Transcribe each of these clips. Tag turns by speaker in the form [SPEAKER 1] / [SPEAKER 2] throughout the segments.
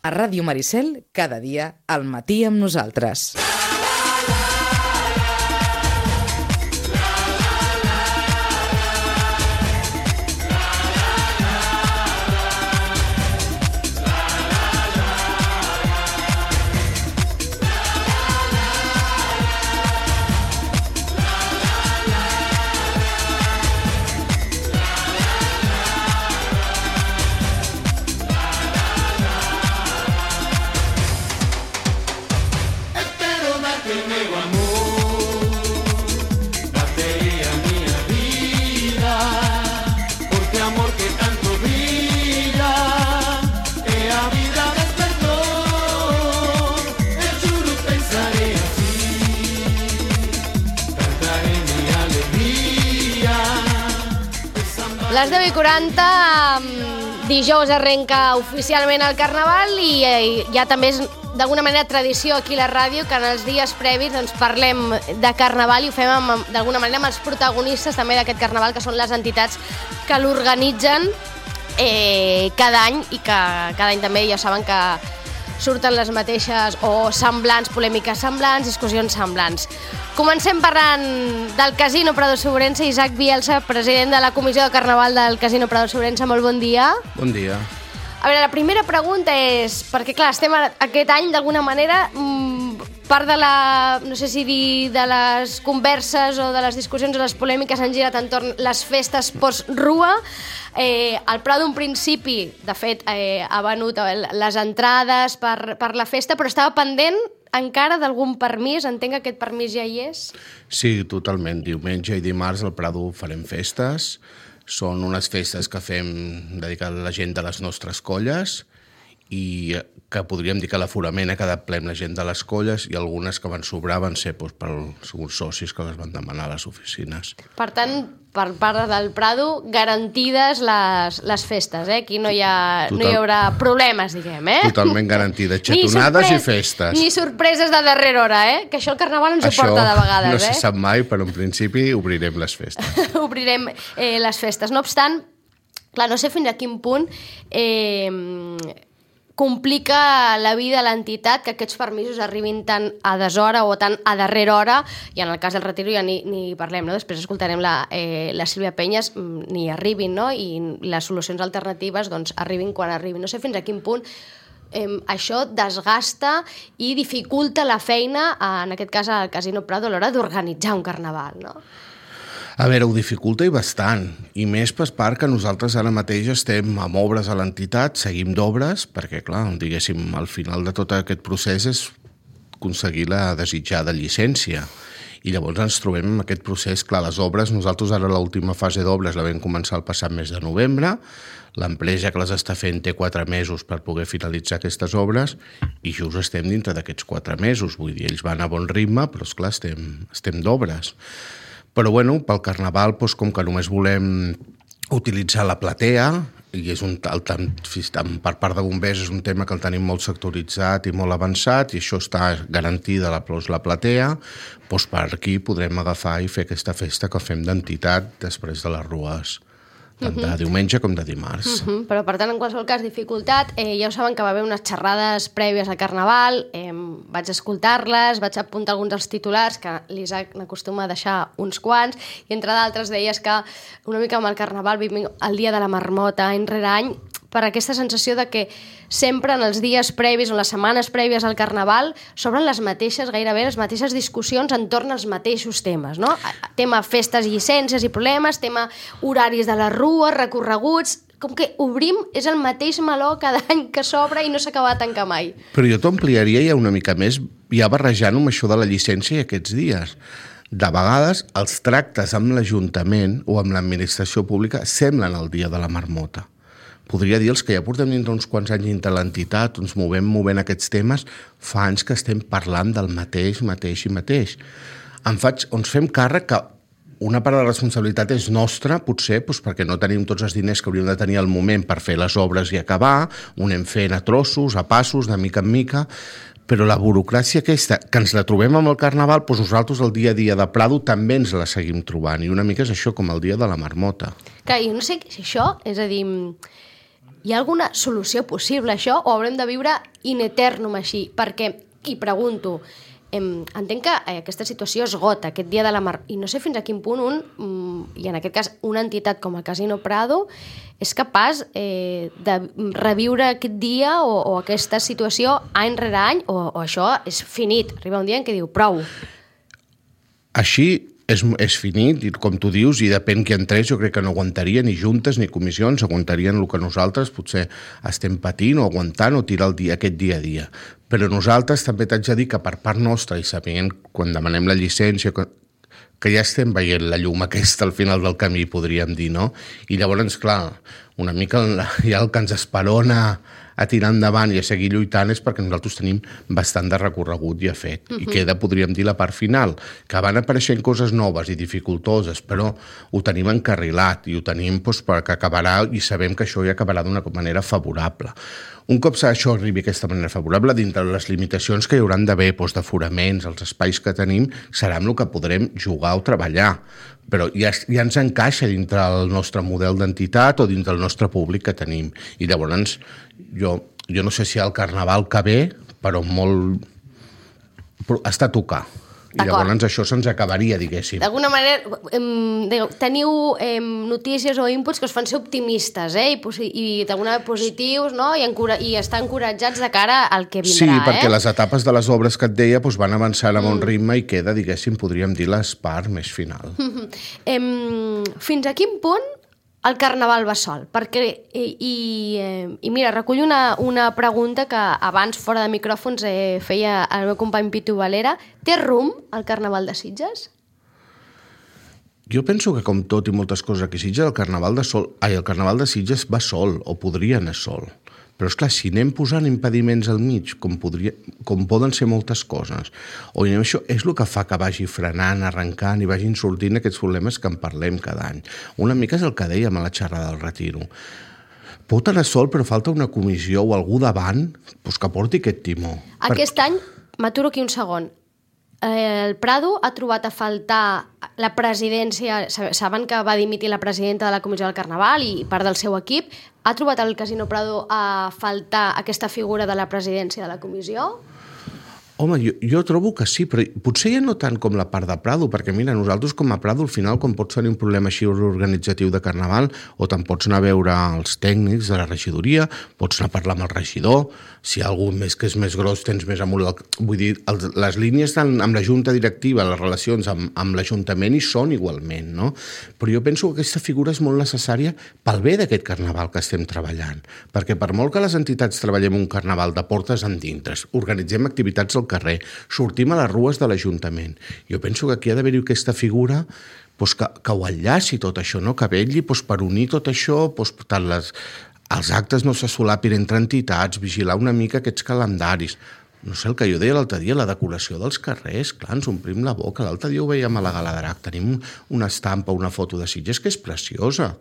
[SPEAKER 1] A Ràdio Maricel, cada dia, al matí amb nosaltres.
[SPEAKER 2] Les 10:40, dijous arrenca oficialment el Carnaval i ja també és d'alguna manera tradició aquí a la ràdio que en els dies previs parlem de Carnaval i ho fem d'alguna manera amb els protagonistes també d'aquest Carnaval, que són les entitats que l'organitzen cada any i que cada any també ja saben que surten les mateixes o semblants, polèmiques semblants, discussions semblants. Comencem parlant del Casino Prado Sobrense. Isaac Bielsa, president de la Comissió de Carnaval del Casino Prado Sobrense, molt bon dia.
[SPEAKER 3] Bon dia.
[SPEAKER 2] A veure, la primera pregunta és, perquè clar, estem aquest any d'alguna manera, part de la, no sé si dir, de les converses o de les discussions o les polèmiques han girat entorn les festes post-rua. El Prado, en principi, de fet, ha venut les entrades per la festa, però estava pendent encara d'algun permís. Entenc que aquest permís ja hi és?
[SPEAKER 3] Sí, totalment. Diumenge i dimarts al Prado farem festes. Són unes festes que fem dedicades a la gent de les nostres colles i que podríem dir que l'aforament ha quedat ple amb la gent de les colles i algunes que van sobrar van ser pels socis que les van demanar a les oficines.
[SPEAKER 2] Per tant, per part del Prado, garantides les festes, Aquí no hi haurà problemes, diguem,
[SPEAKER 3] Totalment garantides, xatonades i festes.
[SPEAKER 2] Ni sorpreses de darrera hora, Que això el Carnaval ens ho porta de vegades,
[SPEAKER 3] no se sap mai, però en principi obrirem les festes.
[SPEAKER 2] Obrirem les festes. No obstant, clar, no sé fins a quin punt complica la vida a l'entitat que aquests permisos arribin tan a deshora o tan a darrera hora, i en el cas del Retiro ja ni parlem, no? Després escoltarem la Sílvia Penyes, ni arribin, no? I les solucions alternatives arribin quan arribin. No sé fins a quin punt això desgasta i dificulta la feina, en aquest cas al Casino Prado, a l'hora d'organitzar un carnaval, no?
[SPEAKER 3] A veure, ho dificulta i bastant, i més per part que nosaltres ara mateix estem amb obres a l'entitat, seguim d'obres, perquè, clar, diguéssim, al final de tot aquest procés és aconseguir la desitjada llicència. I llavors ens trobem en aquest procés, clar, les obres, nosaltres ara l'última fase d'obres la vam començar el passat mes de novembre, l'empresa que les està fent té 4 mesos per poder finalitzar aquestes obres i just estem dintre d'aquests 4 mesos, vull dir, ells van a bon ritme, però esclar, estem d'obres. Però bueno, pel Carnaval, com que només volem utilitzar la platea, i és per part de bombers és un tema que el tenim molt sectoritzat i molt avançat, i això està garantida la platea, per aquí podrem agafar i fer aquesta festa que fem d'entitat després de les rues, tant de diumenge com de dimarts.
[SPEAKER 2] Però, per tant, en qualsevol cas, dificultat. Ja ho saben que va haver unes xerrades prèvies al Carnaval, vaig escoltar-les, vaig apuntar alguns dels titulars, que l'Isaac n'acostuma a deixar uns quants, i entre d'altres deies que una mica amb el Carnaval vivim el dia de la marmota any rere any, per aquesta sensació de que sempre en els dies previs o les setmanes prèvies al Carnaval s'obren gairebé les mateixes discussions entorn als mateixos temes, no? Tema festes, llicències i problemes, tema horaris de les rues, recorreguts, com que obrim, és el mateix meló cada any que s'obre i no s'acaba de tancar mai.
[SPEAKER 3] Però jo t'ho ampliaria ja una mica més, ja barrejant amb això de la llicència i aquests dies. De vegades, els tractes amb l'Ajuntament o amb l'administració pública semblen el dia de la marmota. Podria dir els que ja portem dintre uns quants anys dintre l'entitat, ens movent aquests temes, fa anys que estem parlant del mateix. Ens fem càrrec que una part de la responsabilitat és nostra, potser, perquè no tenim tots els diners que hauríem de tenir al moment per fer les obres i acabar, ho anem fent a trossos, a passos, de mica en mica, però la burocràcia aquesta, que ens la trobem amb el Carnaval, nosaltres el dia a dia de Prado també ens la seguim trobant, i una mica és això com el dia de la marmota.
[SPEAKER 2] Clar, jo no sé si això, és a dir, hi ha alguna solució possible a això o haurem de viure in eternum així? Perquè, i pregunto, entenc que aquesta situació esgota aquest dia de la mar, i no sé fins a quin punt i en aquest cas una entitat com el Casino Prado és capaç de reviure aquest dia o aquesta situació any rere any, o això és finit, arriba un dia en què diu prou.
[SPEAKER 3] Així és finit, i com tu dius, i depèn qui entrés, jo crec que no aguantaria ni juntes ni comissions, aguantarien el que nosaltres potser estem patint o aguantant o tirar aquest dia a dia. Però nosaltres també t'haig de dir que per part nostra, i sabent quan demanem la llicència, que ja estem veient la llum aquesta al final del camí, podríem dir, no? I llavors, clar, una mica ja el que ens esperona a tirar endavant i a seguir lluitant és perquè nosaltres tenim bastant de recorregut ja fet. I queda, podríem dir, la part final, que van apareixent coses noves i dificultoses, però ho tenim encarrilat i ho tenim perquè acabarà, i sabem que això ja acabarà d'una manera favorable. Un cop això arribi aquesta manera favorable, dintre les limitacions que hi hauran d'haver, d'aforaments, els espais que tenim, serà amb el que podrem jugar o treballar. Però ja ens encaixa dintre el nostre model d'entitat o dintre el nostre públic que tenim. I llavors, jo no sé si el carnaval que ve, però està a tocar. I llavors això se'ns acabaria, diguéssim.
[SPEAKER 2] D'alguna manera, teniu notícies o inputs que us fan ser optimistes, i d'alguna manera positius, no? I estar encoratjats de cara al que vindrà.
[SPEAKER 3] Sí, perquè les etapes de les obres que et deia van avançant amb un ritme i queda, diguéssim, podríem dir, l'espart més final.
[SPEAKER 2] Fins a quin punt el carnaval va sol? Perquè, i mira, recullo una pregunta que abans, fora de micròfons, feia el meu company Pitu Valera. Té rumb el carnaval de Sitges?
[SPEAKER 3] Jo penso que, com tot i moltes coses aquí a Sitges, el carnaval de Sitges va sol, o podria anar sol. Però, esclar, si anem posant impediments al mig, com poden ser moltes coses, o anem això, és el que fa que vagi frenant, arrencant i vagin sortint aquests problemes que en parlem cada any. Una mica és el que dèiem a la xerrada del Retiro. Pot anar sol, però falta una comissió o algú davant que porti aquest timó.
[SPEAKER 2] Aquest any, m'aturo aquí un segon, el Prado ha trobat a faltar la presidència, saben que va dimitir la presidenta de la Comissió del Carnaval i part del seu equip, ha trobat el Casino Prado a faltar aquesta figura de la presidència de la comissió?
[SPEAKER 3] Home, jo trobo que sí, però potser ja no tant com la part de Prado, perquè mira, nosaltres com a Prado al final, quan pots tenir un problema així organitzatiu de Carnaval, o te'n pots anar a veure els tècnics de la regidoria, pots anar a parlar amb el regidor, si hi ha algú més que és més gros, tens més amunt. Vull dir, les línies amb la junta directiva, les relacions amb l'Ajuntament hi són igualment, no? Però jo penso que aquesta figura és molt necessària pel bé d'aquest Carnaval que estem treballant, perquè per molt que les entitats treballem un Carnaval de portes endintres, organitzem activitats al carrer, sortim a les rues de l'Ajuntament. Jo penso que aquí ha d'haver-hi aquesta figura que ho enllaci tot això, no? Que vetlli per unir tot això, tant els actes no se solapin entre entitats, vigilar una mica aquests calendaris. No sé, el que jo deia l'altre dia, la decoració dels carrers, clar, ens omplim la boca. L'altre dia ho veiem a la Gala d'Arac, tenim una estampa, una foto de Sitges que és preciosa.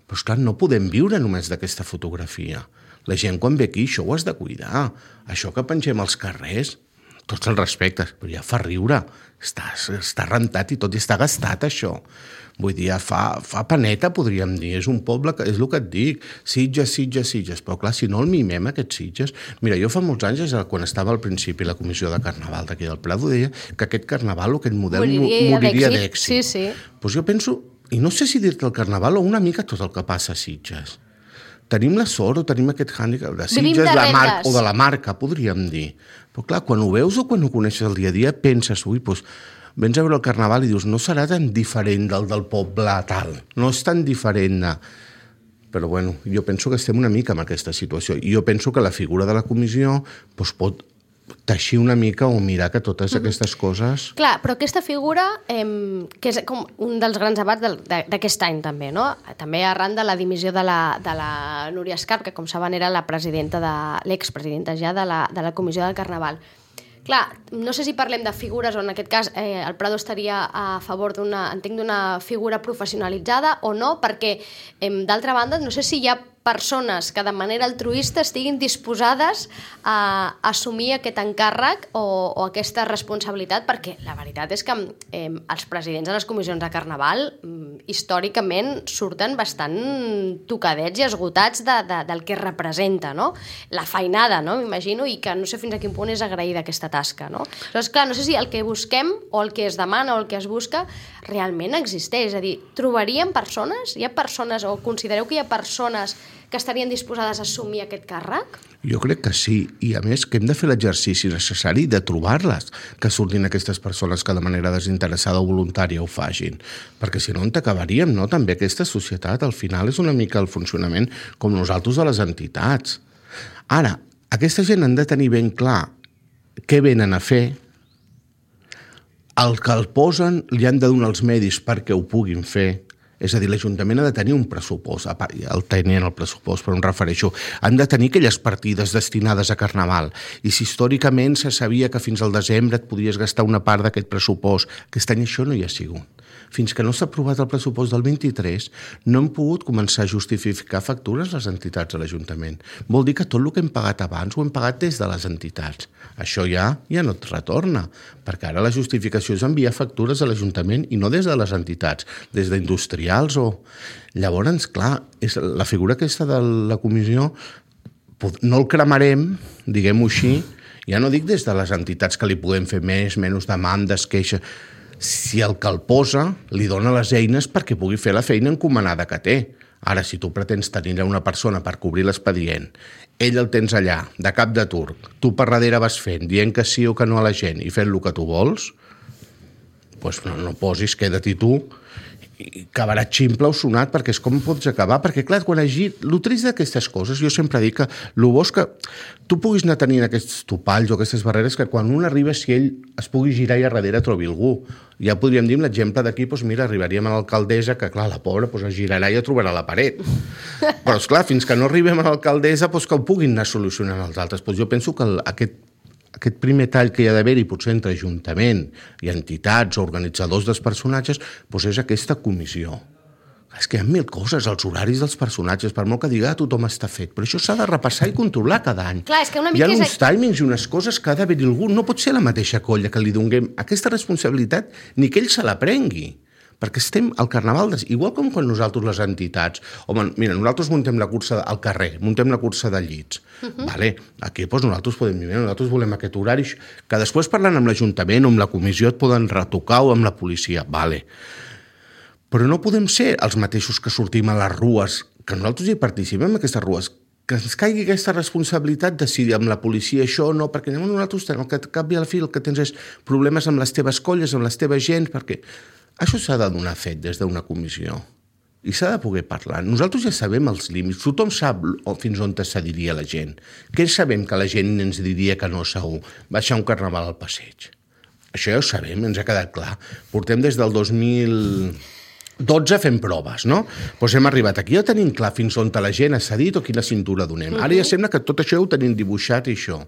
[SPEAKER 3] Però, esclar, no podem viure només d'aquesta fotografia. La gent, quan ve aquí, això ho has de cuidar. Això que pengem als carrers, tots els respectes, però ja fa riure. Està rentat i tot, i està gastat, això. Vull dir, fa paneta, podríem dir. És un poble, és el que et dic. Sitges. Però, clar, si no el mimem, aquests Sitges... Mira, jo fa molts anys, quan estava al principi la comissió de Carnaval d'aquí del Prado, deia que aquest Carnaval o aquest model moriria d'èxit.
[SPEAKER 2] Sí.
[SPEAKER 3] Doncs jo penso, i no sé si dir-te el Carnaval o una mica tot el que passa a Sitges. Tenim la sort o tenim aquest hàndicap de Sitges o de la marca, podríem dir. Però clar, quan ho veus o quan ho coneixes el dia a dia, penses, vens a veure el Carnaval i dius, no serà tan diferent del poble tal, no és tan diferent de... Però bueno, jo penso que estem una mica en aquesta situació. I jo penso que la figura de la comissió pot teixir una mica o mirar que totes aquestes coses...
[SPEAKER 2] Clar, però aquesta figura, que és com un dels grans debats d'aquest any també, no? També arran de la dimissió de la Núria Escarp, que com saben era la presidenta l'expresidenta ja de la Comissió del Carnaval. Clar, no sé si parlem de figures o en aquest cas el Prado estaria a favor d'una figura professionalitzada o no, perquè d'altra banda no sé si hi ha persones que de manera altruista estiguin disposades a assumir aquest encàrrec o aquesta responsabilitat, perquè la veritat és que els presidents de les comissions de Carnaval històricament surten bastant tocadets i esgotats del que representa, no? La feinada, no? M'imagino, i que no sé fins a quin punt és agraïda aquesta tasca, no? Llavors, clar, no sé si el que busquem o el que es demana o el que es busca realment existeix. És a dir, trobaríem persones? Hi ha persones, o considereu que hi ha persones que estarien disposades a assumir aquest càrrec?
[SPEAKER 3] Jo crec que sí, i a més que hem de fer l'exercici necessari de trobar-les, que surtin aquestes persones que de manera desinteressada o voluntària ho facin, perquè si no on acabaríem, no? També aquesta societat al final és una mica el funcionament com nosaltres de les entitats. Ara, aquesta gent han de tenir ben clar què venen a fer, el que el posen li han de donar els medis perquè ho puguin fer. És a dir, l'Ajuntament ha de tenir un pressupost, el tenien el pressupost, però em refereixo, han de tenir aquelles partides destinades a Carnaval. I si històricament se sabia que fins al desembre et podies gastar una part d'aquest pressupost, aquest any això no hi ha sigut. Fins que no s'ha aprovat el pressupost del 23, no hem pogut començar a justificar factures les entitats de l'Ajuntament. Vol dir que tot el que hem pagat abans ho hem pagat des de les entitats. Això ja no et retorna, perquè ara la justificació és enviar factures a l'Ajuntament i no des de les entitats, des d'industrials o... Llavors, clar, la figura aquesta de la comissió no el cremarem, diguem-ho així, ja no dic des de les entitats que li podem fer més, menys demandes, queixes... Si el que el posa li dona les eines perquè pugui fer la feina encomanada que té. Ara, si tu pretens tenir una persona per cobrir l'expedient, ell el tens allà, de cap de turc, tu per darrere vas fent, dient que sí o que no a la gent i fent el que tu vols, doncs no posis, queda-t'hi tu, i acabarà ximple o sonat, perquè és com pots acabar, perquè clar, quan hagi... El trist d'aquestes coses, jo sempre dic que el bo és que tu puguis anar tenint aquests topalls o aquestes barreres que quan un arriba, si ell es pugui girar i a darrere trobi algú. Ja podríem dir l'exemple d'aquí, doncs mira, arribaríem a l'alcaldessa, que clar, la pobra es girarà i ja trobarà la paret. Però esclar, fins que no arribem a l'alcaldessa, que ho puguin anar solucionant els altres. Jo penso que aquest primer tall que hi ha d'haver-hi, potser entre Ajuntament i entitats o organitzadors dels personatges, és aquesta comissió. És que hi ha 1000 coses, els horaris dels personatges, per molt que diga tothom està fet, però això s'ha de repassar i controlar cada any.
[SPEAKER 2] Clar, és que una mica
[SPEAKER 3] hi ha uns timings i unes coses que ha d'haver-hi algú. No pot ser la mateixa colla que li donem aquesta responsabilitat ni que ell se la prengui. Perquè estem al Carnaval, igual com quan nosaltres les entitats, home, mira, nosaltres muntem la cursa al carrer, muntem la cursa de llits, vale, aquí nosaltres podem dir, nosaltres volem aquest horari, que després parlant amb l'Ajuntament o amb la comissió et poden retocar o amb la policia, vale, però no podem ser els mateixos que sortim a les rues, que nosaltres hi participem en aquestes rues, que ens caigui aquesta responsabilitat de decidir amb la policia això o no, perquè nosaltres tenim que cap i al fi el que tens és problemes amb les teves colles, amb les teves gens, perquè això s'ha de donar fet des d'una comissió i s'ha de poder parlar. Nosaltres ja sabem els límits, tothom sap fins on cediria la gent. Què sabem que la gent ens diria que no segur? Baixar un carnaval al passeig. Això ja ho sabem, ens ha quedat clar. Portem des del 2012 fent proves, no? Doncs hem arribat aquí, ja tenim clar fins on la gent ha cedit o quina cintura donem. Ara ja sembla que tot això ho tenim dibuixat i això.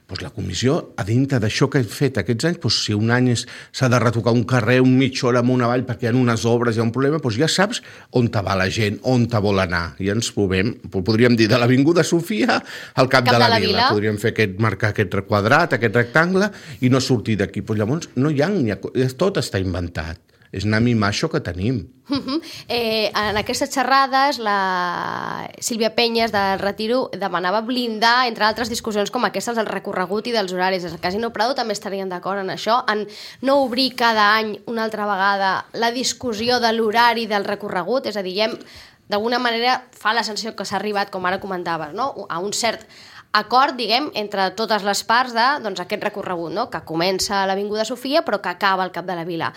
[SPEAKER 3] Doncs la comissió, a dintre d'això que hem fet aquests anys, doncs si un any s'ha de retocar un carrer, un mitja hora amunt avall perquè hi ha unes obres, hi ha un problema, doncs ja saps on va la gent, on vol anar. I ens movem, podríem dir, de l'Avinguda Sofia al cap de la Vila. Podríem fer marcar aquest quadrat, aquest rectangle, i no sortir d'aquí. Doncs llavors no hi ha, tot està inventat. És anar a mimar això que tenim.
[SPEAKER 2] En aquestes xerrades, la Sílvia Penyes del Retiro demanava blindar, entre altres discussions com aquestes, del recorregut i dels horaris. El Casino Prado també estarien d'acord en això, en no obrir cada any una altra vegada la discussió de l'horari del recorregut, és a dir, d'alguna manera fa la sensació que s'ha arribat, com ara comentaves, no? A un cert acord, diguem, entre totes les parts d'aquest recorregut, no? Que comença a l'Avinguda Sofia però que acaba al cap de la Vila.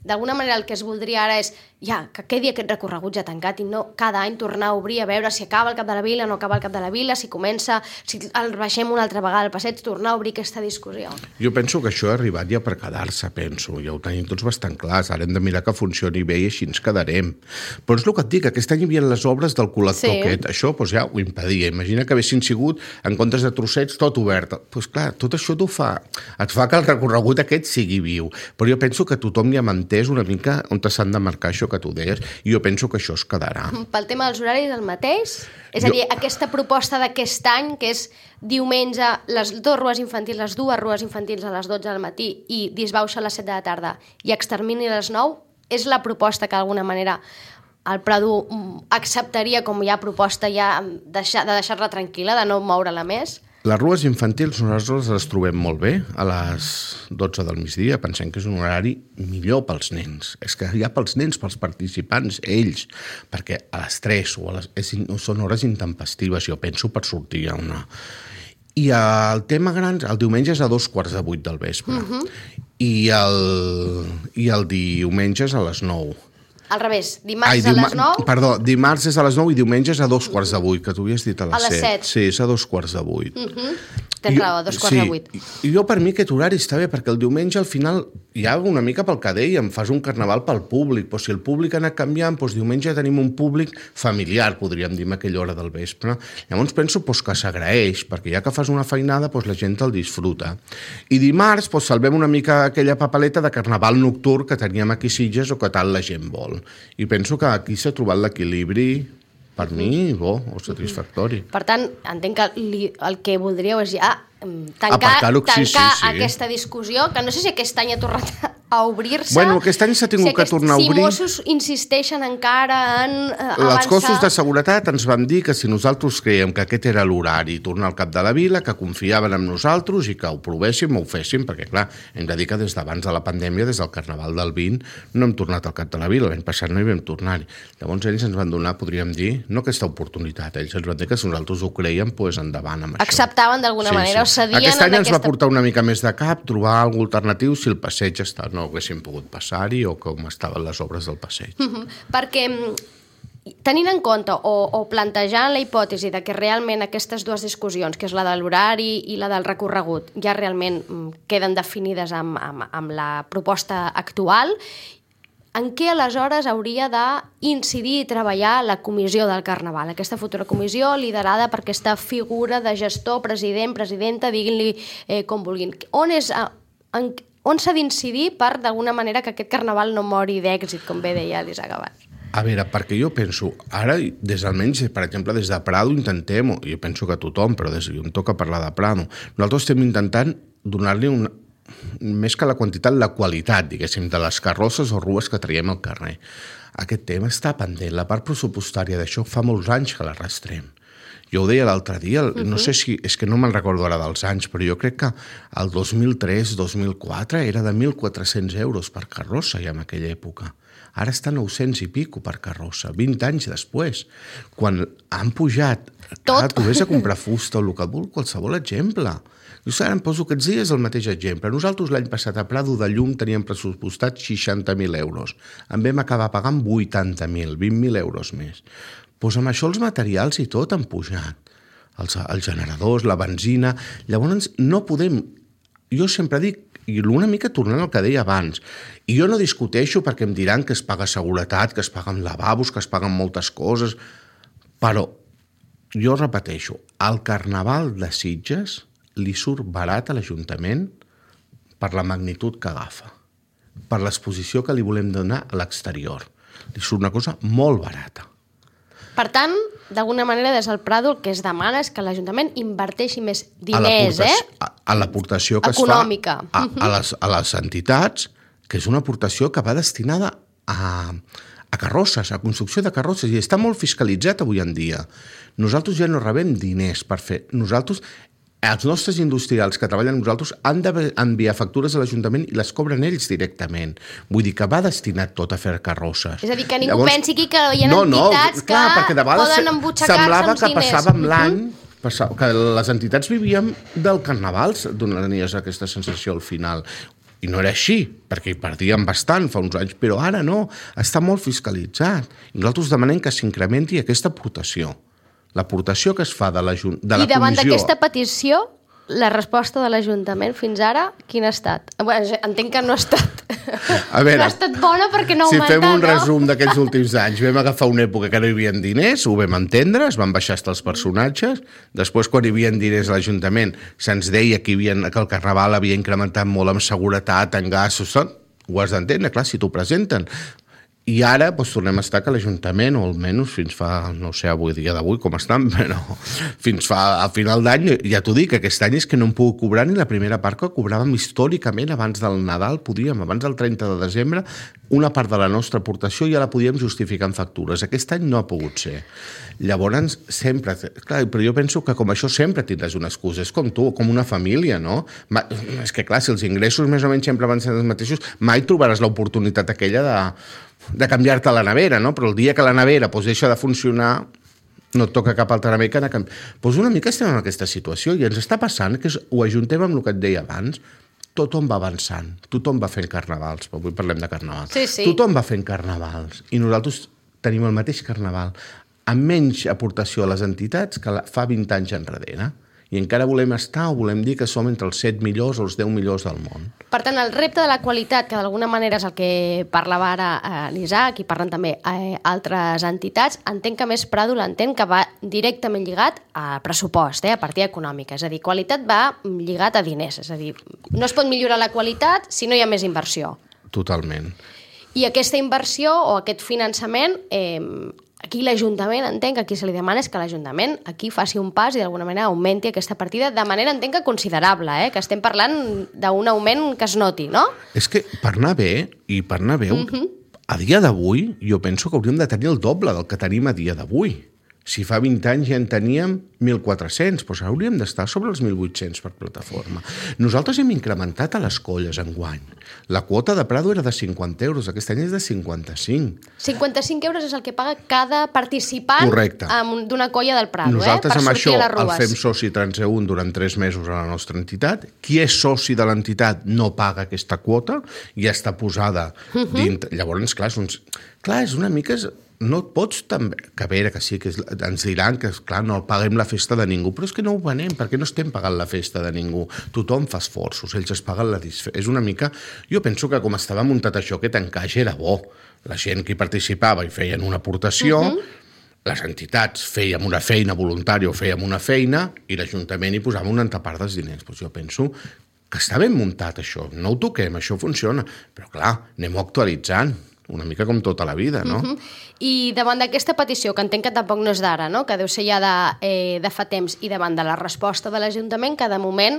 [SPEAKER 2] D'alguna manera el que es voldria ara és que quedi aquest recorregut ja tancat i no cada any tornar a obrir a veure si acaba al cap de la Vila, no acaba al cap de la Vila, si comença, si el baixem una altra vegada al passeig, tornar a obrir aquesta discussió.
[SPEAKER 3] Jo penso que això ha arribat ja per quedar-se, penso. Ja ho tenim tots bastant clars. Ara hem de mirar que funcioni bé i així ens quedarem. Però és el que et dic, aquest any hi havia les obres del col·lector aquest. Això ja ho impedia. Imagina que haguessin sigut, en comptes de trossets, tot obert. Doncs clar, tot això et fa que el recorregut aquest sigui viu. Però jo penso que tothom ja m'entès una mica on s'han de marcar això que tu deies, i jo penso que això es quedarà.
[SPEAKER 2] Pel tema dels horaris, el mateix? És a dir, aquesta proposta d'aquest any, que és diumenge, les dues rues infantils a les 12 del matí i disbauxa a les 7 de la tarda i extermini a les 9, és la proposta que d'alguna manera el Prado acceptaria com ja proposta de deixar-la tranquil·la, de no moure-la més?
[SPEAKER 3] Les rues infantils nosaltres les trobem molt bé a les 12 del migdia. Pensem que és un horari millor pels nens. És que ja pels nens, pels participants, ells, perquè a les 3 són hores intempestives, jo penso, per sortir a una... I el tema gran, el diumenge és a 7:15 del vespre. I el diumenge és a les 9.
[SPEAKER 2] Al revés, dimarts a les 9?
[SPEAKER 3] Perdó, dimarts és a les 9 i diumenge és a 7:15, que t'ho havies dit a les 7.
[SPEAKER 2] 7.
[SPEAKER 3] Sí, és a 7:15.
[SPEAKER 2] Tens raó, a 7:15.
[SPEAKER 3] I jo per mi aquest horari està bé, perquè el diumenge al final hi ha una mica pel que dèiem, fas un carnaval pel públic, però si el públic ha anat canviant, doncs diumenge tenim un públic familiar, podríem dir, a aquella hora del vespre. Llavors penso que s'agraeix, perquè ja que fas una feinada, la gent el disfruta. I dimarts salvem una mica aquella papeleta de carnaval nocturn que teníem aquí a Sitges o que tal la gent vol. I penso que aquí s'ha trobat l'equilibri, per mi, bo o satisfactori.
[SPEAKER 2] Per tant, entenc que el que voldríeu és ja tancar aquesta discussió, que no sé si aquest any ha tornat a obrir-se.
[SPEAKER 3] Bueno, aquest any s'ha tingut que tornar a obrir.
[SPEAKER 2] Si Mossos insisteixen encara en avançar...
[SPEAKER 3] Els cossos de seguretat ens van dir que si nosaltres creiem que aquest era l'horari, tornar al cap de la vila, que confiaven en nosaltres i que ho provéssim o ho féssim, perquè, clar, hem de dir que des d'abans de la pandèmia, des del Carnaval del 20, no hem tornat al cap de la vila. L'any passat no hi vam tornar-hi. Llavors ells ens van donar, podríem dir, no aquesta oportunitat, ells ens van dir que si nosaltres ho creiem, doncs endavant amb això.
[SPEAKER 2] Acceptaven d'alguna manera, o cedien...
[SPEAKER 3] Aquest any ens va portar una mica més de cap, trobar alguna alternatiu si el passeig no haguéssim pogut passar-hi o com estaven les obres del passeig.
[SPEAKER 2] Perquè tenint en compte o plantejant la hipòtesi de que realment aquestes dues discussions, que és la de l'horari i la del recorregut, ja realment queden definides amb la proposta actual, en què aleshores hauria d'incidir i treballar la comissió del Carnaval, aquesta futura comissió liderada per aquesta figura de gestor, president, presidenta, diguin-li com vulguin. On s'ha d'incidir per, d'alguna manera, que aquest Carnaval no mori d'èxit, com bé deia l'Isaac abans?
[SPEAKER 3] A veure, perquè jo penso, ara, almenys, per exemple, des de Prado intentem, jo penso que tothom, però em toca parlar de Prado, nosaltres estem intentant donar-li més que la quantitat, la qualitat, diguéssim, de les carrosses o rues que traiem al carrer. Aquest tema està pendent. La part pressupostària d'això fa molts anys que l'arrastrem. Jo ho deia l'altre dia, no sé si... És que no me'n recordo ara dels anys, però jo crec que el 2003-2004 era de 1.400 euros per carrossa ja en aquella època. Ara està 900 i pico per carrossa, 20 anys després. Quan han pujat... Tot. Tu vés a comprar fusta o el que vol, qualsevol exemple. Jo ara em poso aquests dies el mateix exemple. Nosaltres l'any passat a Prado de llum teníem pressupostat 60.000 euros. En vam acabar pagant 80.000, 20.000 euros més. Doncs amb això els materials i tot han pujat. Els generadors, la benzina... Llavors no podem... Jo sempre dic, i una mica tornant al que deia abans, i jo no discuteixo perquè em diran que es paga seguretat, que es paguen lavabos, que es paguen moltes coses, però jo repeteixo, el Carnaval de Sitges li surt barat a l'Ajuntament per la magnitud que agafa, per l'exposició que li volem donar a l'exterior. Li surt una cosa molt barata.
[SPEAKER 2] Per tant, d'alguna manera, des del Prado el que es demana és que l'Ajuntament inverteixi més diners,
[SPEAKER 3] a l'aportació que
[SPEAKER 2] econòmica.
[SPEAKER 3] Es fa a les entitats, que és una aportació que va destinada a carrosses, a construcció de carrosses, i està molt fiscalitzat avui en dia. Nosaltres ja no rebem diners per fer... Els nostres industrials que treballen amb nosaltres han d'enviar factures a l'Ajuntament i les cobren ells directament. Vull dir que va destinat tot a fer carrosses.
[SPEAKER 2] És a dir, que ningú pensi que hi ha entitats que poden embutxacar-se amb diners.
[SPEAKER 3] Semblava que passava amb l'any, que les entitats vivíem del Carnaval, donaries aquesta sensació al final. I no era així, perquè hi perdíem bastant fa uns anys, però ara no, està molt fiscalitzat. I nosaltres demanem que s'incrementi aquesta aportació. L'aportació que es fa de la comissió...
[SPEAKER 2] I davant d'aquesta petició, la resposta de l'Ajuntament fins ara, quina ha estat? Bueno, entenc que no ha estat...
[SPEAKER 3] A veure,
[SPEAKER 2] no ha estat bona perquè no ha augmentat,
[SPEAKER 3] si fem un resum d'aquests últims anys, vam agafar una època que no hi havia diners, ho vam entendre, es van baixar els personatges, després quan hi havia diners a l'Ajuntament se'ns deia que el Carnaval havia incrementat molt en seguretat, en gastos, ho has d'entendre, clar, si t'ho presenten. I ara tornem a estar que l'Ajuntament, o almenys fins fa, no sé avui dia d'avui com estan, però fins fa a final d'any, ja t'ho dic, aquest any és que no em puc cobrar ni la primera part que cobràvem històricament abans del Nadal, abans del 30 de desembre, una part de la nostra aportació ja la podíem justificar en factures. Aquest any no ha pogut ser. Llavors, sempre... Clar, però jo penso que com això sempre tindràs una excusa. És com tu, com una família, no? És que clar, si els ingressos més o menys sempre van ser els mateixos, mai trobaràs l'oportunitat aquella de canviar-te la nevera, no? Però el dia que la nevera deixa de funcionar, no et toca cap altra nevera que anar a canviar. Una mica estem en aquesta situació i ens està passant que ho ajuntem amb el que et deia abans. Tothom va avançant, tothom va fent carnavals, avui parlem de carnaval.
[SPEAKER 2] Sí.
[SPEAKER 3] Tothom va fent carnavals i nosaltres tenim el mateix carnaval amb menys aportació a les entitats que fa 20 anys enrere. I encara volem estar o volem dir que som entre els 7 millors o els 10 millors del món.
[SPEAKER 2] Per tant, el repte de la qualitat, que d'alguna manera és el que parlava ara l'Isaac i parlen també altres entitats, entenc que més Prado l'entén que va directament lligat a pressupost, a partida econòmica. És a dir, qualitat va lligat a diners. És a dir, no es pot millorar la qualitat si no hi ha més inversió.
[SPEAKER 3] Totalment.
[SPEAKER 2] I aquesta inversió o aquest finançament... Aquí l'Ajuntament, entenc que aquí se li demana és que l'Ajuntament aquí faci un pas i d'alguna manera augmenti aquesta partida de manera, entenc que considerable, que estem parlant d'un augment que es noti, no?
[SPEAKER 3] És que per anar bé, a dia d'avui, jo penso que hauríem de tenir el doble del que tenim a dia d'avui. Si fa 20 anys ja en teníem 1.400, doncs hauríem d'estar sobre els 1.800 per plataforma. Nosaltres hem incrementat a les colles enguany. La quota de Prado era de 50 euros, aquest any és de 55.
[SPEAKER 2] 55 euros és el que paga cada participant d'una colla del Prado,
[SPEAKER 3] Nosaltres
[SPEAKER 2] per
[SPEAKER 3] amb
[SPEAKER 2] sortir
[SPEAKER 3] això
[SPEAKER 2] a les rues.
[SPEAKER 3] el fem soci transeünt durant 3 mesos a la nostra entitat. Qui és soci de l'entitat no paga aquesta quota, ja està posada dintre. Llavors, clar, és una mica... No et pots també... Que a veure, que sí, que ens diran que, clar, no paguem la festa de ningú, però és que no ho venem, perquè no estem pagant la festa de ningú. Tothom fa esforços, ells es paguen la disfressa. És una mica... Jo penso que com estava muntat això, aquest encaix era bo. La gent que hi participava i feien una aportació, les entitats fèiem una feina voluntària o fèiem una feina i l'Ajuntament hi posava una altra part dels diners. Doncs jo penso que està ben muntat això, no ho toquem, això funciona. Però clar, anem-ho actualitzant. Una mica com tota la vida, no?
[SPEAKER 2] I davant d'aquesta petició, que entenc que tampoc no és d'ara, no? Que deu ser ja de fa temps, i davant de la resposta de l'Ajuntament, que de moment,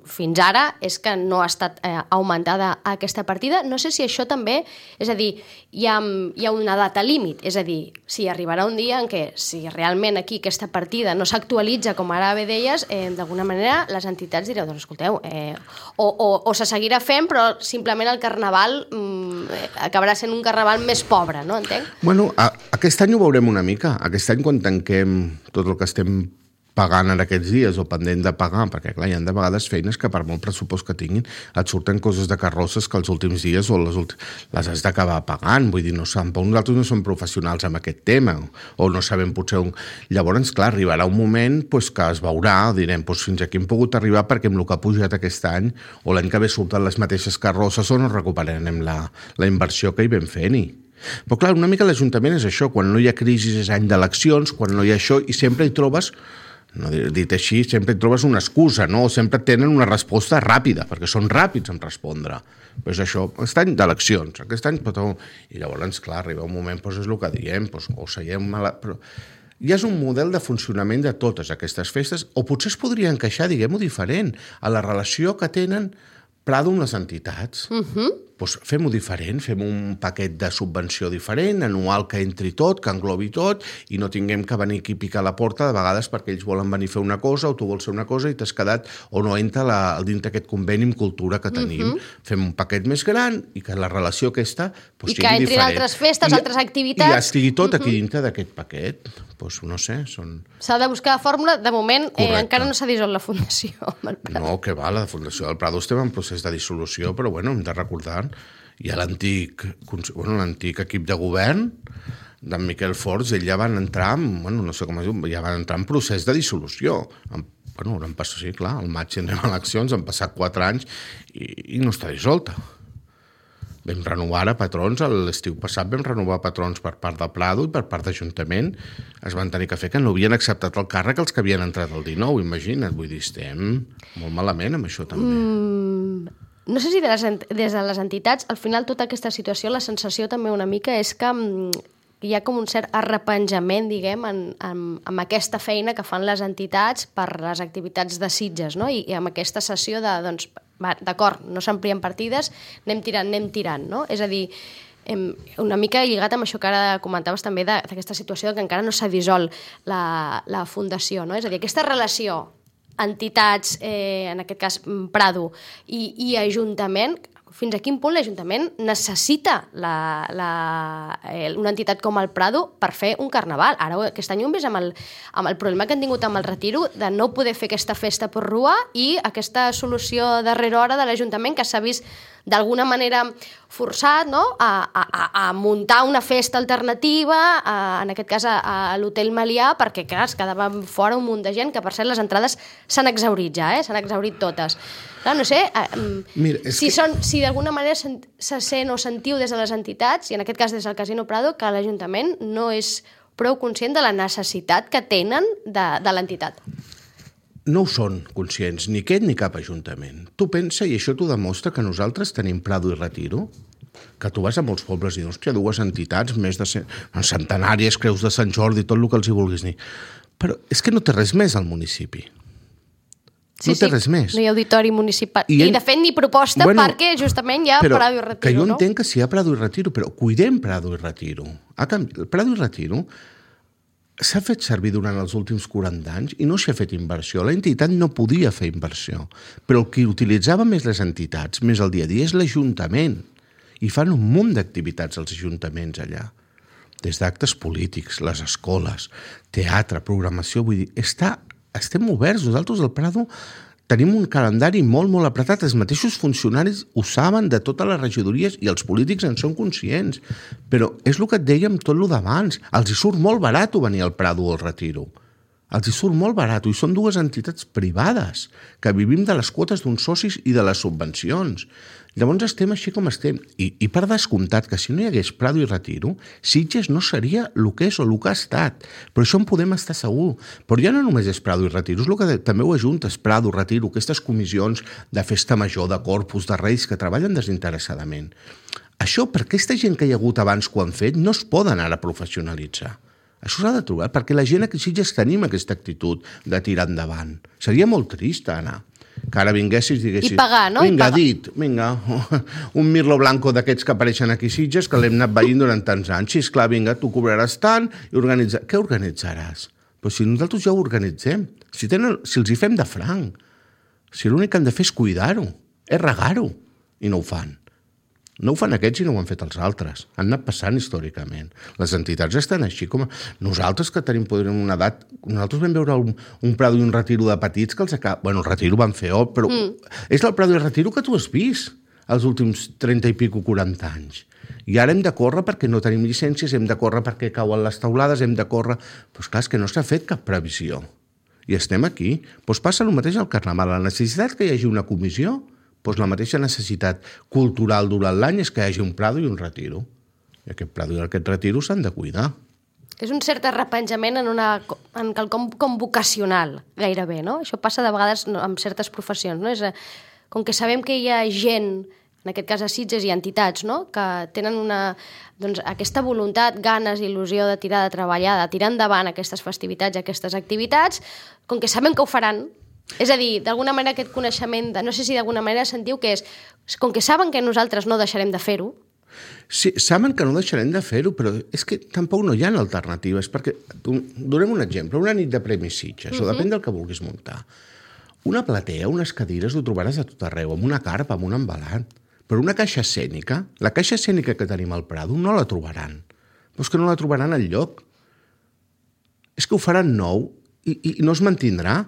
[SPEAKER 2] fins ara, és que no ha estat augmentada aquesta partida. No sé si això també, és a dir, hi ha una data límit, és a dir, si arribarà un dia en què, si realment aquí aquesta partida no s'actualitza, com ara bé deies, d'alguna manera les entitats direu, doncs escolteu, o se seguirà fent, però simplement el carnaval acabarà sent un carnaval més pobre, no? Entenc?
[SPEAKER 3] Bueno, aquest any ho veurem una mica. Aquest any, quan tanquem tot el que estem pagant en aquests dies o pendent de pagar, perquè clar, hi ha de vegades feines que per molt pressupost que tinguin et surten coses de carrosses que els últims dies o les has d'acabar pagant, vull dir, no sabem, nosaltres no som professionals en aquest tema o no sabem potser Llavors, clar, arribarà un moment que es veurà, direm, fins aquí hem pogut arribar perquè amb el que ha pujat aquest any o l'any que ve surten les mateixes carrosses o no recuperarem la inversió que hi vam fent-hi. Però clar, una mica l'Ajuntament és això, quan no hi ha crisi és any d'eleccions, quan no hi ha això, i sempre hi trobes, no dit així, sempre hi trobes una excusa, no? Sempre tenen una resposta ràpida, perquè són ràpids en respondre. Però és això, aquest any d'eleccions, aquest any... I llavors, clar, arriba un moment, és el que diem, o seiem... Però ja és un model de funcionament de totes aquestes festes, o potser es podria encaixar, diguem-ho diferent, a la relació que tenen Prado amb les entitats. Doncs fem-ho diferent, fem un paquet de subvenció diferent, anual que entri tot, que englobi tot, i no tinguem que venir aquí a picar la porta de vegades perquè ells volen venir a fer una cosa o tu vols fer una cosa i t'has quedat o no entra dintre aquest conveni amb cultura que tenim. Fem un paquet més gran i que la relació aquesta sigui diferent.
[SPEAKER 2] I que entrin altres festes, altres activitats.
[SPEAKER 3] I ja estigui tot aquí dintre d'aquest paquet. Doncs no sé,
[SPEAKER 2] S'ha de buscar la fòrmula. De moment encara no s'ha dissolt la Fundació.
[SPEAKER 3] No, que va, la Fundació del Prado estem en procés de dissolució, però bueno, hem de recordar hi ha l'antic equip de govern d'en Miquel Forns, ell ja van entrar no sé com es diu, ja van entrar en procés de dissolució. Han passat, sí, clar, al maig tindrem eleccions, han passat 4 anys i no està dissolta. Vam renovar a patrons, l'estiu passat vam renovar patrons per part de Prado i per part d'Ajuntament. Es van tenir que fer que no havien acceptat el càrrec els que havien entrat el 19, imagina't. Vull dir, estem molt malament amb això també.
[SPEAKER 2] no sé si des de les entitats, al final tota aquesta situació, la sensació també una mica és que hi ha com un cert arrepenjament, diguem, amb aquesta feina que fan les entitats per les activitats de Sitges, no? I amb aquesta sessió de, doncs, d'acord, no s'amplien partides, anem tirant, no? És a dir, una mica lligat amb això que ara comentaves també d'aquesta situació que encara no s'ha dissolt la fundació, no? És a dir, aquesta relació entitats, en aquest cas Prado, i Ajuntament, fins a quin punt l'Ajuntament necessita una entitat com el Prado per fer un carnaval. Ara aquest any ho hem vist amb el problema que han tingut amb el retiro de no poder fer aquesta festa per rua i aquesta solució darrera hora de l'Ajuntament que s'ha vist d'alguna manera forçat, no?, a muntar una festa alternativa, en aquest cas a l'Hotel Melià, perquè clar, es quedava fora un munt de gent, que per cert les entrades s'han exhaurit ja, s'han exhaurit totes. Clar, no sé, mira, si d'alguna manera se sent o sentiu des de les entitats, i en aquest cas des del Casino Prado, que l'Ajuntament no és prou conscient de la necessitat que tenen de l'entitat.
[SPEAKER 3] No ho són conscients, ni aquest ni cap ajuntament. Tu pensa, i això t'ho demostra, que nosaltres tenim Prado i Retiro, que tu vas a molts pobles i dius, hòstia, dues entitats, més de centenàries, creus de Sant Jordi, tot el que els hi vulguis dir. Però és que no té res més al municipi. No té res més.
[SPEAKER 2] No hi ha auditori municipal. I de fet ni proposta perquè justament hi ha Prado i Retiro, no?
[SPEAKER 3] Que jo entenc que sí hi ha Prado i Retiro, però cuidem Prado i Retiro. Prado i Retiro s'ha fet servir durant els últims 40 anys i no s'hi ha fet inversió. L'entitat no podia fer inversió, però el que utilitzava més les entitats, més el dia a dia, és l'Ajuntament. I fan un munt d'activitats als ajuntaments allà. Des d'actes polítics, les escoles, teatre, programació, vull dir, estem oberts. Nosaltres al Prado tenim un calendari molt, molt apretat. Els mateixos funcionaris ho saben de totes les regidories i els polítics en són conscients. Però és el que et deia amb tot el d'abans. Els hi surt molt barat venir al Prado o al Retiro. Els hi surt molt barat. I són dues entitats privades que vivim de les quotes d'uns socis i de les subvencions. Llavors estem així com estem. I per descomptat que si no hi hagués Prado i Retiro, Sitges no seria el que és o el que ha estat. Però això en podem estar segur. Però ja no només és Prado i Retiro, és el que també ho ajuntes, Prado, Retiro, aquestes comissions de festa major, de Corpus, de Reis, que treballen desinteressadament. Això, per aquesta gent que hi ha hagut abans que ho han fet, no es poden ara professionalitzar. Això s'ha de trobar, perquè la gent aquí a Sitges tenim aquesta actitud de tirar endavant. Seria molt trist anar. Que ara vinguessis i diguessis...
[SPEAKER 2] I pagar, no?
[SPEAKER 3] Vinga, vinga, un Mirlo Blanco d'aquests que apareixen aquí a Sitges, que l'hem anat veient durant tants anys. Sí, esclar, vinga, tu cobraràs tant i organitzaràs... Què organitzaràs? Però si nosaltres ja ho organitzem, si els hi fem de franc, si l'únic que han de fer és cuidar-ho, és regar-ho, i no ho fan. No ho fan aquests i no ho han fet els altres. Han anat passant històricament. Les entitats estan així com... Nosaltres que tenim una edat... Nosaltres vam veure un Prado i un Retiro de petits que els acaba... Bueno, el Retiro van fer però és el Prado i el Retiro que tu has vist els últims 30 i pico, 40 anys. I ara hem de córrer perquè no tenim llicències, hem de córrer perquè cauen les taulades, hem de córrer... Però és clar, és que no s'ha fet cap previsió. I estem aquí. Doncs passa el mateix al Carnaval. La necessitat que hi hagi una comissió, doncs la mateixa necessitat cultural durant l'any és que hi hagi un Prado i un Retiro. I aquest Prado i aquest Retiro s'han de cuidar.
[SPEAKER 2] És un cert arrepenjament en quelcom com vocacional, gairebé, no? Això passa de vegades amb certes professions, no? Com que sabem que hi ha gent, en aquest cas a Sitges i entitats, no?, que tenen aquesta voluntat, ganes, il·lusió de tirar, de treballar, de tirar endavant aquestes festivitats, aquestes activitats, com que sabem que ho faran. És a dir, d'alguna manera aquest coneixement, no sé si d'alguna manera sentiu que és, com que saben que nosaltres no deixarem de fer-ho.
[SPEAKER 3] Sí, saben que no deixarem de fer-ho, però és que tampoc no hi ha alternatives, perquè, donem un exemple, una nit de Premis Sitges, o depèn del que vulguis muntar. Una platea, unes cadires, ho trobaràs a tot arreu, amb una carpa, amb un embalat. Però una caixa escènica, la caixa escènica que tenim al Prado, no la trobaran. Però és que no la trobaran enlloc. És que ho faran nou i no es mantindrà.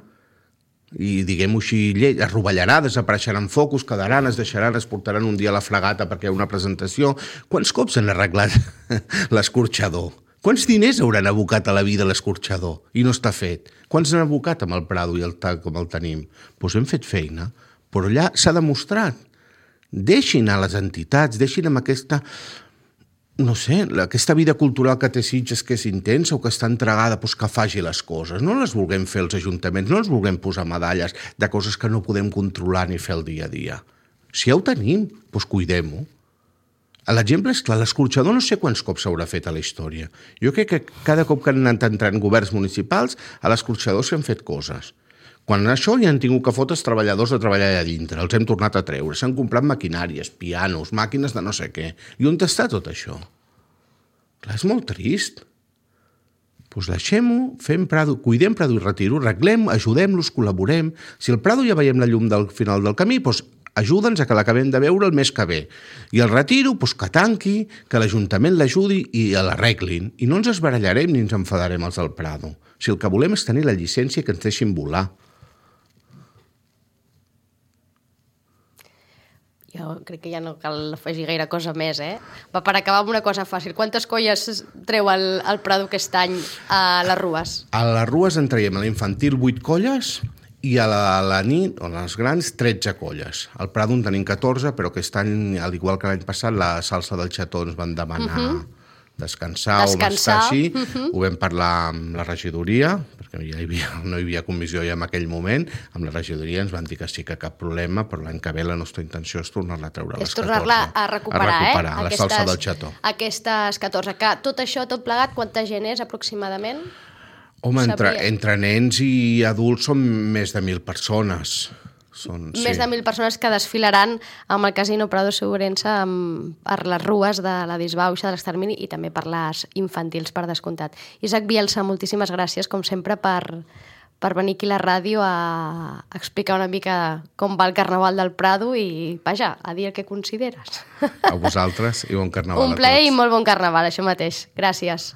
[SPEAKER 3] I diguem-ho així, es rovellarà, desapareixeran focus, quedaran, es deixaran, es portaran un dia a la fregata perquè hi ha una presentació. Quants cops han arreglat l'escorxador? Quants diners hauran abocat a la vida l'escorxador? I no està fet. Quants han abocat amb el Prado i el TAC com el tenim? Doncs hem fet feina, però allà s'ha demostrat. Deixin a les entitats, deixin amb aquesta... no sé, aquesta vida cultural que té Sitges, que és intensa o que està entregada, doncs que faci les coses. No les vulguem fer els ajuntaments, no els vulguem posar medalles de coses que no podem controlar ni fer el dia a dia. Si ja ho tenim, doncs cuidem-ho. L'exemple és clar, l'escorxador no sé quants cops s'haurà fet a la història. Jo crec que cada cop que han anat entrant governs municipals, a l'escorxador s'han fet coses. Quan això ja han tingut que fotre els treballadors de treballar allà dintre, els hem tornat a treure, s'han comprat maquinàries, pianos, màquines de no sé què. I on està tot això? Clar, és molt trist. Doncs deixem-ho, fem Prado, cuidem Prado i Retiro, arreglem, ajudem-los, col·laborem. Si el Prado ja veiem la llum del final del camí, doncs ajuda'ns a que l'acabem de veure el mes que ve. I el Retiro, doncs que tanqui, que l'Ajuntament l'ajudi i l'arreglin. I no ens esbarallarem ni ens enfadarem els del Prado. Si el que volem és tenir la llicència que ens deixin volar.
[SPEAKER 2] Jo crec que ja no cal afegir gaire cosa més, Va, per acabar amb una cosa fàcil. Quantes colles treu el Prado aquest any a les Rues?
[SPEAKER 3] A les Rues en traiem a l'infantil 8 colles i a la nit, o a les grans, 13 colles. Al Prado en tenim 14, però aquest any, al igual que l'any passat, la salsa del xató ens van demanar descansar o estar així. Ho vam parlar amb la regidoria, perquè no hi havia comissió ja en aquell moment. Amb la regidoria ens van dir que sí que cap problema, però l'any que ve la nostra intenció és tornar-la a treure a les 14.
[SPEAKER 2] És tornar-la a recuperar,
[SPEAKER 3] la salsa del xató.
[SPEAKER 2] Aquestes 14. Que tot això, tot plegat, quanta gent és aproximadament?
[SPEAKER 3] Home, entre nens i adults són més de 1.000 persones.
[SPEAKER 2] Més de 1.000 persones que desfilaran amb el Casino Prado Segurense per les Rues de la disbauxa de l'extermini i també per les infantils, per descomptat. Isaac Bielsa, moltíssimes gràcies, com sempre, per venir aquí a la ràdio a explicar una mica com va el Carnaval del Prado i, vaja, a dir el que consideres.
[SPEAKER 3] A vosaltres i bon Carnaval a tots.
[SPEAKER 2] Un plaer i molt bon Carnaval, això mateix. Gràcies.